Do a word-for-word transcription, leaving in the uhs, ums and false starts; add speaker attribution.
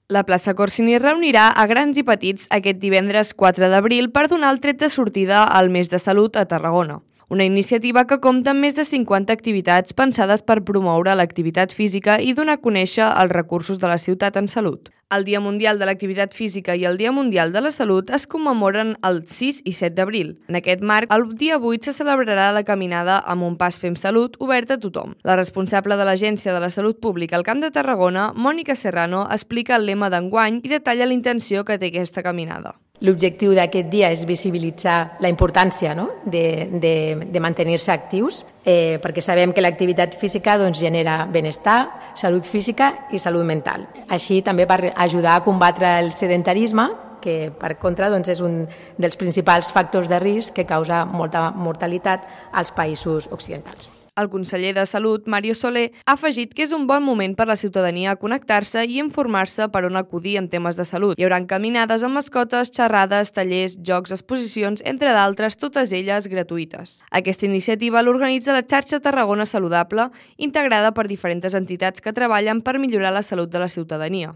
Speaker 1: La plaça Corsini reunirà a grans i petits aquest divendres quatre d'abril per donar el tret de sortida al mes de salut a Tarragona. Una iniciativa que compta amb més de cinquanta activitats pensades per promoure l'activitat física i donar a conèixer els recursos de la ciutat en salut. El Dia Mundial de l'Activitat Física i el Dia Mundial de la Salut es commemoren el sis i set d'abril. En aquest marc, el dia vuit se celebrarà la caminada amb un pas Fem Salut obert a tothom. La responsable de l'Agència de la Salut Pública al Camp de Tarragona, Mònica Serrano, explica el lema d'enguany i detalla la intenció que té aquesta caminada.
Speaker 2: L'objectiu d'aquest dia és visibilitzar la importància, no? de, de, de mantenir-se actius, eh, perquè sabem que l'activitat física doncs, genera benestar, salut física i salut mental. Així també per ajudar a combatre el sedentarisme, que per contra doncs, és un dels principals factors de risc que causa molta mortalitat als països occidentals.
Speaker 1: El conseller de Salut, Mario Soler, ha afegit que és un bon moment per la ciutadania a connectar-se i informar-se per on acudir en temes de salut. Hi haurà caminades amb mascotes, xerrades, tallers, jocs, exposicions, entre d'altres, totes elles gratuïtes. Aquesta iniciativa l'organitza la xarxa Tarragona Saludable, integrada per diferents entitats que treballen per millorar la salut de la ciutadania.